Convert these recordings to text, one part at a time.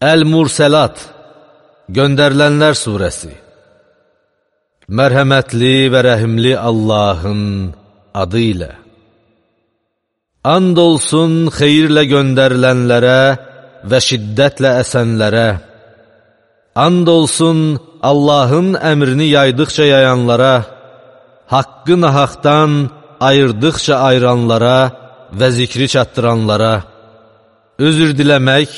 Əl-Murselat, Göndərilənlər surəsi. Mərhəmətli və rəhimli Allahın adı ilə. And olsun xeyirlə göndərilənlərə və şiddətlə əsənlərə. And olsun Allahın əmrini yaydıqca yayanlara, haqqı nahaqdan ayırdıqca ayıranlara və zikri çatdıranlara, özür diləmək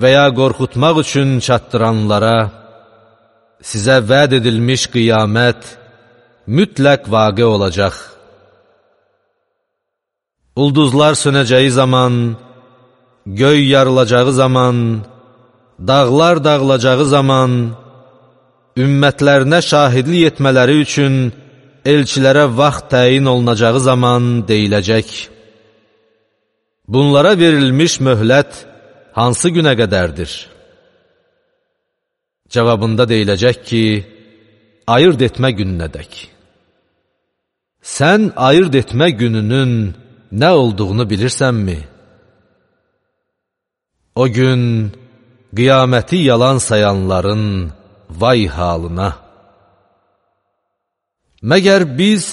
və ya qorxutmaq üçün çatdıranlara, sizə vəd edilmiş qiyamət mütləq vaqe olacaq. Ulduzlar sönəcəyi zaman, göy yarılacağı zaman, dağlar dağılacağı zaman, ümmətlərinə şahidlik etmələri üçün elçilərə vaxt təyin olunacağı zaman deyiləcək. Bunlara verilmiş möhlət hansı günə qədərdir? Cavabında deyiləcək ki, ayırt etmə gününədək. Sən ayırt etmə gününün nə olduğunu bilirsənmi? O gün qiyaməti yalan sayanların vay halına. Məgər biz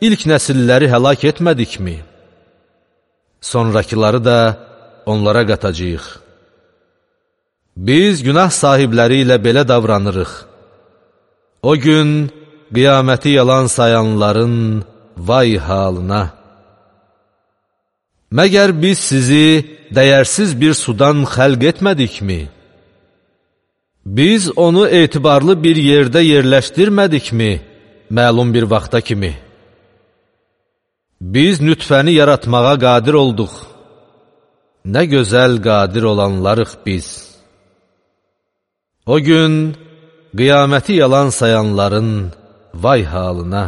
ilk nəsilləri həlak etmədikmi? Sonrakıları da onlara qatacağıq. Biz günah sahibləri ilə belə davranırıq. O gün qiyaməti yalan sayanların vay halına. Məgər biz sizi dəyərsiz bir sudan xəlq etmədikmi? Biz onu etibarlı bir yerdə yerləşdirmədikmi, məlum bir vaxta kimi? Biz nütfəni yaratmağa qadir olduq. Nə gözəl qadir olanlarıq biz. O gün qiyaməti yalan sayanların vay halına.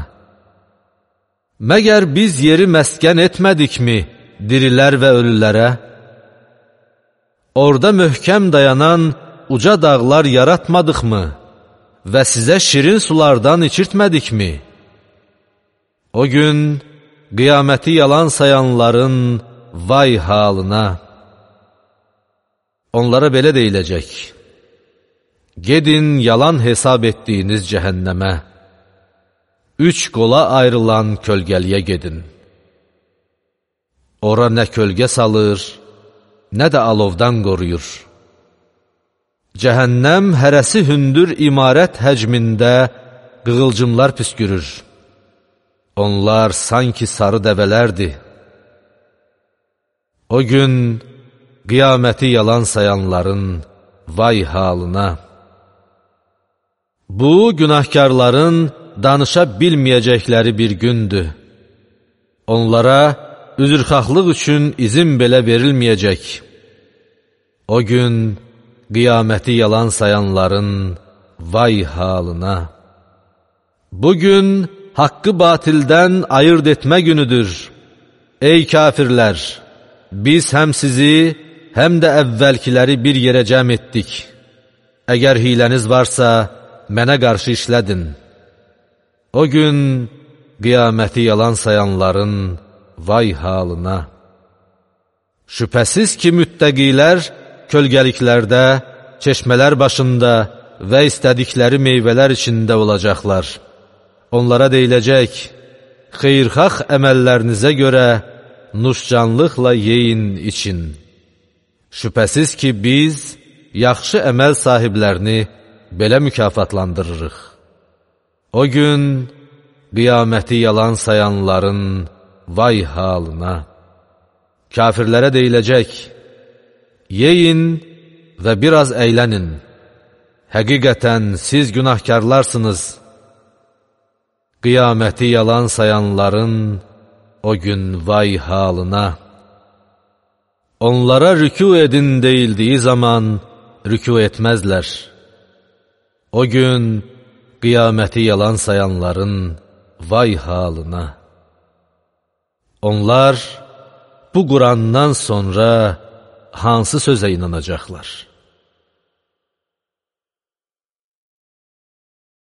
Məgər biz yeri məskən etmədikmi dirilər və ölülərə? Orada möhkəm dayanan uca dağlar yaratmadıqmı və sizə şirin sulardan içirtmədikmi? O gün qiyaməti yalan sayanların vay halına. Onlara belə deyiləcək: gedin yalan hesab etdiyiniz cəhənnəmə, 3 qola ayrılan kölgəliyə gedin. Ora nə kölgə salır, nə də alovdan qoruyur. Cəhənnəm hərəsi hündür imarət həcmində qığılcımlar püskürür. Onlar sanki sarı dəvələrdir. O gün qiyaməti yalan sayanların vay halına. Bu, günahkarların danışa bilməyəcəkləri bir gündür. Onlara üzrxahlıq üçün izin belə verilməyəcək. O gün qiyaməti yalan sayanların vay halına. Bugün haqqı batildən ayırt etmə günüdür. Ey kafirlər! Biz həm sizi, həm də əvvəlkiləri bir yerə cəm etdik. Əgər hiləniz varsa, mənə qarşı işlədin. O gün qiyaməti yalan sayanların vay halına. Şübhəsiz ki, müttəqilər kölgəliklərdə, çeşmələr başında və istədikləri meyvələr içində olacaqlar. Onlara deyiləcək: xeyirxah əməllərinizə görə nuşcanlıqla yeyin, için. Şübhəsiz ki, biz yaxşı əməl sahiblərini belə mükafatlandırırıq. O gün qiyaməti yalan sayanların vay halına. Kafirlərə deyiləcək: yeyin və biraz əylənin. Həqiqətən siz günahkarlarsınız. Qiyaməti yalan sayanların o gün vay halına. Onlara rükû edin deyildiyi zaman rükû etməzlər. O gün qiyaməti yalan sayanların vay halına. Onlar bu Qurandan sonra hansı sözə inanacaqlar?